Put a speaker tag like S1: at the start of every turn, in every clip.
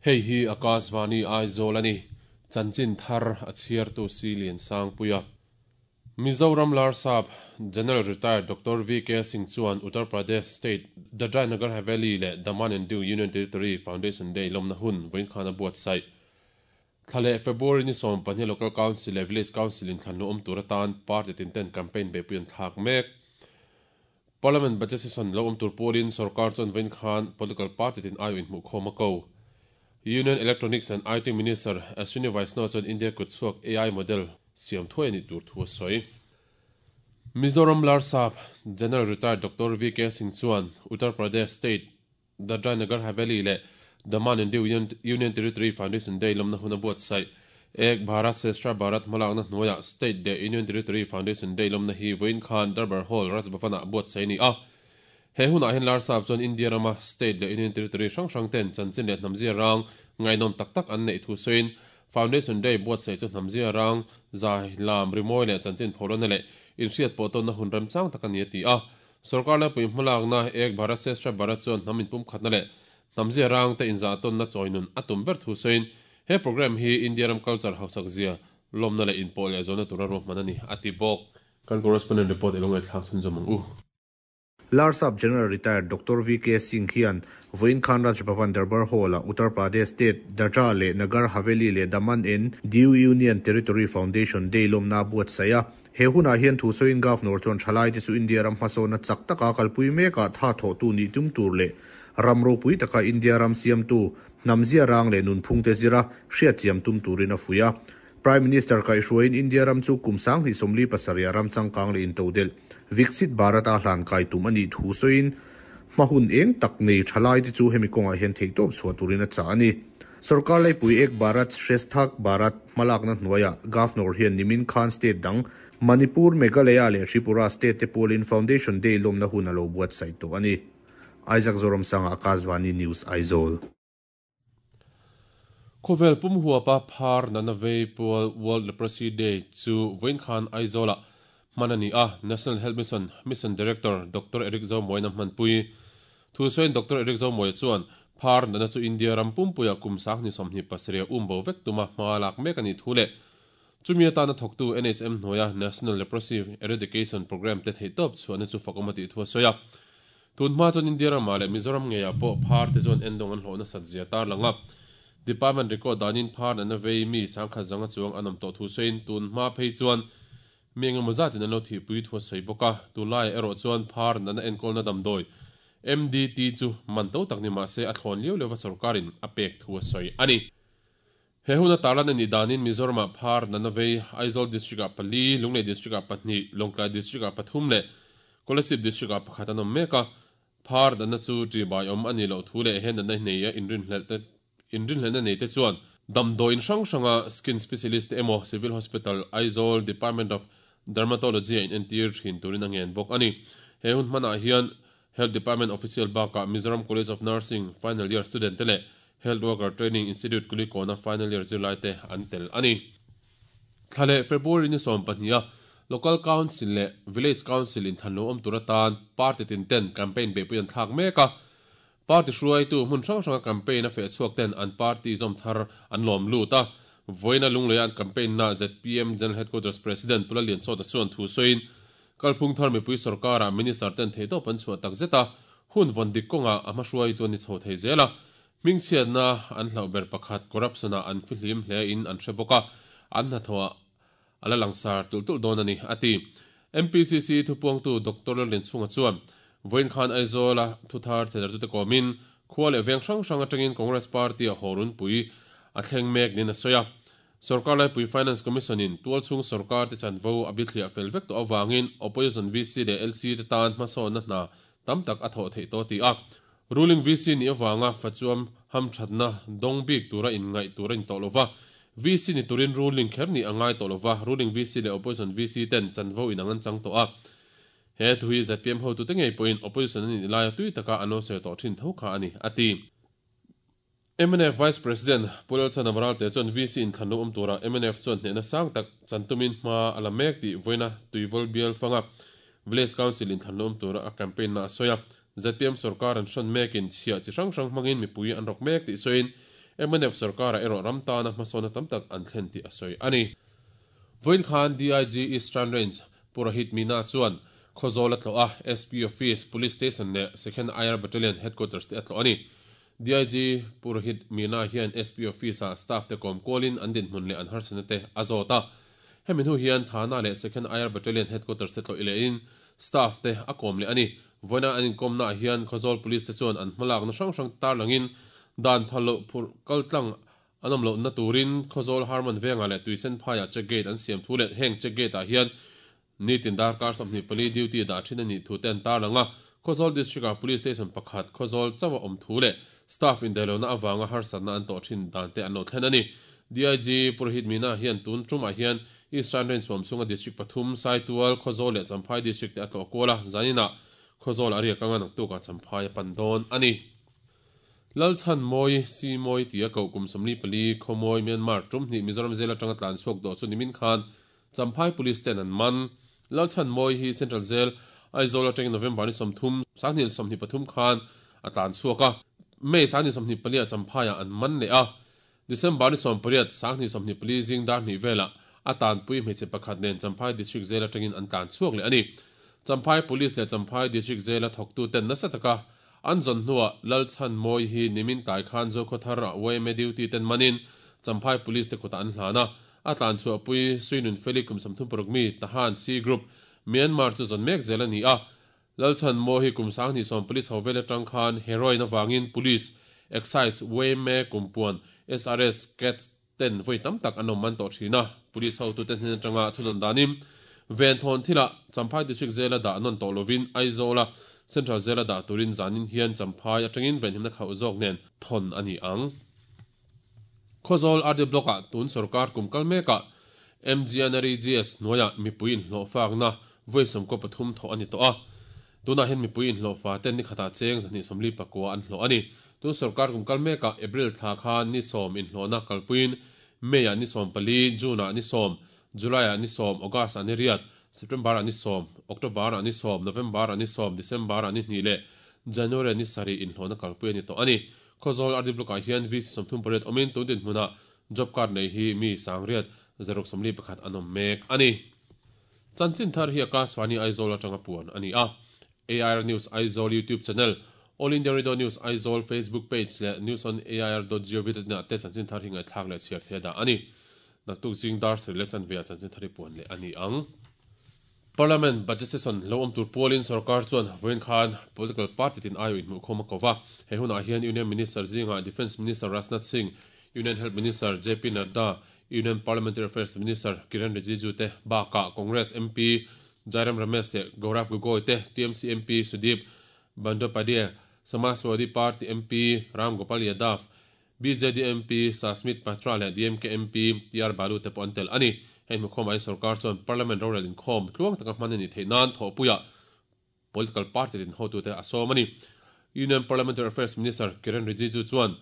S1: Hei hi Akashvani Aizawl a ni. Chanchin thar a chhiartu Silian Sangpuia. Mizoram Larsap General Retired Doctor VK Singh chuan Uttar Pradesh State Dadra Nagar Haveli leh Daman and Diu Union Territory Foundation Day lawmna hun vawiin khan a buatsaih. Thla leh February ni 12 Local Council leh Village Council inthlan lu awm tur atan party tin ten campaign beihpui an thlak mek. Parliament Budget Session lo awm tur pawlin sorkar chuan vawiin khan political party tin aiawh inhmuhkhawm a ko. Union Electronics and IT Minister Ashwini Vaishnaw chuan India kutchhuak AI model siam thuai a nih tur thu a sawi. Mizoram Larsap General Retired Doctor VK Singh chuan Uttar Pradesh State Dadra Nagar Haveli leh Daman and Diu Union Territory Foundation Day lawmna hun a buatsaih. Ek Bharat Sestra Bharat hmalakna hnuaiah State leh Union Territory Foundation Day lawmna hi vawiin khan Darbar Hall, Raj Bhavan-ah buatsaih a ni a. He hunah hian Larsap chuan India rama State leh Union Territory hrang hrang ten chanchin leh hnamzia rang ngaihnawm tak tak an neih thu sawiin Foundation Day buatsaih chu hnamzia rang zai lam rimawi leh chanchin phawlawna leh inhriat pawh tawnna hun remchang tak a ni a ti a. Sorkar laipui hmalakna Ek Bharat Sestra Bharat chuan hnam inpumkhatna leh hnamzia rang te inzahtawnna chawinun a tum ber thu sawiin he programme hi India ram culture hausak zia lawmna leh inpawh leh zawhna tura ruahman a ni a ti bawk. Kan correspondent report i lo ngaihthlak chhunzawm ang u.
S2: Larsap General Retired Doctor VK Singh hian vawiin khan Raj Bhavan Darbar Hall-ah Uttar Pradesh State Dadra leh Nagar Haveli leh Daman and Diu Union Territory Foundation Day lawmna a buatsaih a. He hunah hian thusawiin Governor chuan thalaite chu India ram hmasawnna chak taka kalpui mekah tha thawhtu nih tum tur leh ram ropui taka India ram siamtu hnamzia rang leh nunphungte zira hriatchiam tum turin a fuih a. Prime Minister kaihhruaiin India ram chu kum 2037 ah ram changkang leh intodelh Viksit Bharat a hlan kai tum a nih thu sawiin hma hun eng tak nei tha lai te chu hemi kawngah hian theihtawp chhuah turin a chah a ni. Sorkar laipui Ek Bharat Shrestha Bharat hmalakna hnuaiah Governor hian nimin khan state dang Manipur, Meghalaya leh Tripura state te pawlin Foundation Day lawmna hun a lo buatsaih tawh a ni. Isaac Zoramsanga, Akashvani News, Aizawl.
S1: Khawvel pum huapa phar nana vei pual World Leprosy Day chu vawiin khan Aizawlah hman a ni a, National Health Mission Mission Director Doctor Eric Zomuaina hmanpui. Thu sawiin Doctor Eric Zomuaia chuan phar nana chu India ram pumpuiah kum 2027 a umbo vek tuma hma lak mek a nih thu leh chumi atana thawktu NHM hnuaia National Leprosy Eradication Programme te theihtawp chhuahna chu fakawm a tih thu a sawi a. Tun hma chuan India ramah leh Mizoram ngeiah pawh phar te chuan endawng an hlawh nasat zia tarlang a. Department record danin phar natna vei mi sangkhat zanga chuang an awm tawh thu sawiin tun hma phei chuan mi engemaw zatin an lo thihpui thu a sawi bawk a. Tunlaiah erawh chuan phar natna enkawlna damdawi MDT chu man to tak ni mah se a thlawn liau liau va sorkarin a pek thu a sawi a ni. He huna tarlan a nih danin Mizoramah phar natna vei Aizawl District-ah pali, Lunglei District-ah pahnih, Lawngtlai District-ah pathum leh Kolasib District-ah pakhat an awm mek a. Phar natna chu ṭihbai awm a nih loh thu leh he natna nei a inrinhlelhna nei te chuan damdawiin hrang hranga skin specialist te emaw Civil Hospital, Aizawl Department of Dermatology-a inentir thin turin a ngen bawk a ni. He hun hmanah hian Health Department official bakah Mizoram College of Nursing final year student te leh Health Worker Training Institute Kulikawna final year zirlai te an tel a ni. Thla leh February ni 12 a Local Council leh Village Council inthlan lo awm tur atan party tin ten campaign beihpui an thlak mek a. Party hruaitu hmun hrang hranga campaign a feh chhuak ten an party zawm thar an lawm lut a. Vawiina Lungleia an campaign na zpm General Headquarters President Pu Lalliansawta chuan thu sawiin Kalphung thar mipui sorkarah Minister ten theihtawp an chhuah tak zet a, hun vawn dik kawngah a hmahruaitu an ni chho thei zel a. Hmingchhiatna an hlauh ber pakhat corruption-ah an fihlim hle in an hre bawk a, an hnathawhah a la langsar tulh tulh dawn a ni, a ti. MPCC thupuangtu Doctor Lalrinchhunga chuan, Vawiin khan Aizawl-a thuthar theidartute kawmin khua leh veng hrang hrang atangin Congress Party-a haw runpui a thleng mek niin a sawi a. Sorkar laipui Finance Commission in tualchhung sorkar te chanvo a bithliah fel vek tawh avangin Opposition VC leh LC te tan hmasawnna hna tam tak a thawh theih tawh ti a. Ruling VC nih avanga fachuam hamthatna dawng bik tura inngaih tur a ni tawh lova, VC ni turin ruling kher nih a ngai tawh lova, ruling VC leh Opposition VC ten chanvo inang an chang tawh a. He thu hi zpm hotute ngei pawhin Opposition an nih laia tui taka an lo sawi tawh thin tho kha a ni, a ti. Mnf Vice President Pu Lalchhan Amralte chuan VC inthlan lo awm turah mnf chuan hnehna sang tak chan tumin hma a la mek tih vawiina Tuivawl bial fanga Village Council inthlan lo awm tura a campaign na a sawi a. Zpm sorkar an hrawn mekin chhiah chi hrang hrang hmangin mipui an rawk mek tih sawiin Mnf sorkarah erawh ram tana hmasawnna tam tak an thlen tih a sawi a ni. Vawiin khan DIG Eastern Range Pu Rohit Meena chuan Khawzawl a tlawh a, SP Office, Police Station leh Second IR Battalion Headquarters te a tlawh a ni. DIG Pu Rohit Meena hian SP Office-ah staff te kawm kualin an dinhmun leh an harsatna te a zawt a. Hemi hnu hian Thana leh Second IR Battalion Headquarters te tlawh i lehin staff te a kawm leh a ni. Vawiina an inkawmnaah hian Khawzawl Police te chuan an hmalakna hrang hrang tarlangin dan phal loh phurh kaltlang an awm lohna turin Khawzawl Harman vengah leh Tuisen phaiah check gate an siam thu leh heng check gate ah hian nitin darkar 24 duty dah thin a nih thu te an tarlang a. Khawzawl District ah Police Station pakhat Khawzawl chauh a awm thu leh staff indaihlohna avanga harsatna an tawh thin dan te an lo thlen a ni. DIG Purohit Meena hian tun tumah hian Eastern Range huam chhunga District pathum, Saitual, Khawzawl leh Champhai District te a tlawh kual a, zaninah Khawzawl a riak anga naktukah Champhai a pan dawn a ni. Lalchhanmawi, Simawi tia koh kum 44, Khawmawi, Myanmar, tum hnih Mizoram zel atanga tlan chhuak dawh chu nimin khan Champhai Police ten an man. Lalchhanmawi hi Central Jail, Aizawl atangin November ni 30, 2023 khan a tlan chhuak a, May 2024 ah Champhaiah an man leh a. December ni 18, 2024 zing dar hnih velah a tanpui hmeichhe pakhat nen Champhai District Jail atangin an tlan chhuak leh a ni. Champhai Police leh Champhai District Jail-a thawktuten nasa taka an zawn hnuah Lalchhanmawi hi nimin tlai khan Zokhawthar ah yma duty ten manin Champhai Police te kutah an hlan a. A tlan chhuahpui Suinun Feli kum 36 mi Tahan C Group, Myanmar chu zawn mek zel a ni a. Lalchhanmawi hi kum 20 police ho vel atang khan heroin avangin Police, Excise, yma, Kumpuan, SRS, Cats ten vawi tam tak an awm man tawh thin a. Police hotute hnen atanga thudawn danin Venthawn thilah Champhai District Jail-a dah nawn tawh lovin Aizawl-a Central Jail-a dah turin zanin hian Champhai atangin venhimna khauh zawk nen thawn a ni ang. Khawzawl RD Block-ah tun sorkar kum kal mekah MGNREGS hnuaiah mipui inhlawhfakna vawi 13 thawh a ni tawh a. Tunah hian mipui inhlawhfa ten ni khatah cheng 249 an hlawh a ni. Tun sorkar kum kal mekah April thla khan ni 10 inhlawhna kalpuiin May-ah ni 14, June-ah ni 10, July-ah ni 10, August-ah ni riat, September-ah ni 10, October-ah ni 10, November-ah ni 10, December-ah ni hnih leh January-ah ni sarih inhlawhna kalpui a ni tawh a ni. Khawzawl RD Block-ah hian VC 38 awmin tun dinhmunah job card nei hi mi sangriat 641 an awm mek a ni. Chanchin thar hi Akashvani Aizawl atanga puan a ni a. AIR News Aizawl YouTube channel, All India Radio News Aizawl Facebook page leh newsonair.gov.in ah te chanchin thar hi ngaihthlak leh chhiar thei a dah a ni. Naktuk zing dar sarih leh chanve ah chanchin thar hi puan leh a ni ang. Parliament Budget Session lo awm tur pualin sorkar chuan vawiin khan political party tin aiawh inhmuhkhawm a ko va. He hunah hian Union Minister zingah Defence Minister Rajnath Singh, Union Health Minister JP Nadda, Union Parliamentary Affairs Minister Kiren Rijiju te bakah Congress MP Jairam Ramesh leh Gaurav Gogoi te, TMC MP Sudip Bandyopadhyay, Samajwadi Party MP Ram Gopal Yadav, BJD MP Sasmit Patra leh DMK MP TR Balu te pawh an tel a ni. Hei hmukhawm ah hian sorkar chuan Parliament rorel inkhawm tluang taka hman a nih theih nan thawhpuiah political party tin hotute a sawm a ni. Union Parliamentary Affairs Minister Kiren Rijiju chuan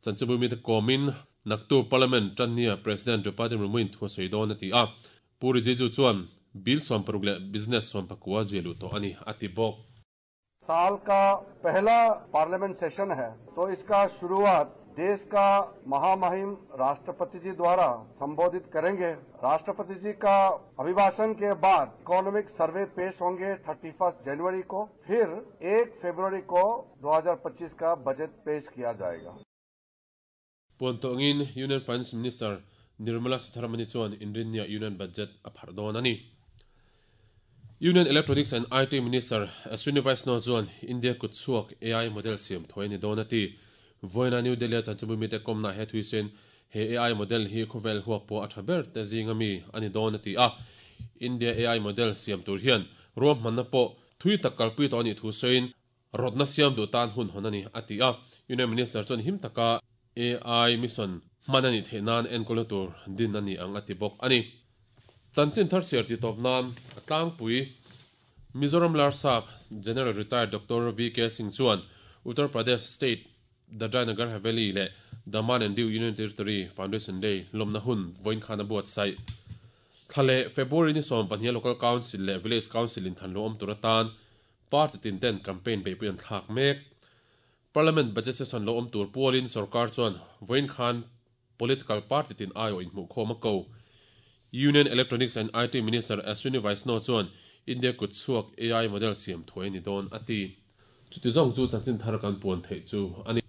S1: chanchinbu mite kawmin naktu Parliament tannia President Draupadi Murmu-in thu a sawi dawn a ti a. Pu Rijiju chuan bill 60 leh business 19 zia luh tawh a ni a ti bawk.
S3: साल का पहला parliament session है तो इसका शुरुआत देश का महामहिम राष्ट्रपति जी द्वारा संबोधित करेंगे। राष्ट्रपति जी का अभिभाषण के बाद इकोनॉमिक सर्वे पेश होंगे 31 जनवरी को, फिर 1 फरवरी को 2025 का बजट पेश किया जाएगा।
S1: Puan tawngin Union Finance Minister Nirmala Sitharaman chuan Inrinnia Union Budget a pharh dawn a ni. Union Electronics and IT Minister Ashwini Vaishnaw chuan India kut chhuak AI model siam thawi a ni dawn a ti. Vawiina New Delhi-a chanchinbu mite kawmna he thuisen he AI model hi khawvel huak pawh a tha ber te zinga mi a ni dawn a ti a. India AI model siam tur hian ruam hmanna pawh thui tak kalpui tawh a nih thu sawiin rawtna siam duh tan hun hawn a ni a ti a. Union Minister chuan him taka AI mission hman a nih theih nan enkawlna tur din a ni ang a ti bawk a ni. Chanchin thar siar ti tawp nan a tlangpui Mizoram Larsap General Retired Doctor VK Singh chuan Uttar Pradesh State Dadra Nagar Haveli leh Daman and Diu Union Territory Foundation Day lawmna hun vawiin khan a buatsaih. Thla leh February ni 12 Local Council leh Village Council in than lo awm tur atan party tin ten campaign beihpui an thlak mek. Parliament budget session lo awm tur pualin sorkar chuan vawiin khan political party tin aiawh inhmuhkhawm a ko. Union Electronics and IT Minister Ashwini Vaishnaw chuan India kutchhuak AI model siam thuai a ni dawn a ti. Chuti zawng chu chanchin thar kan puan theih chu a ni.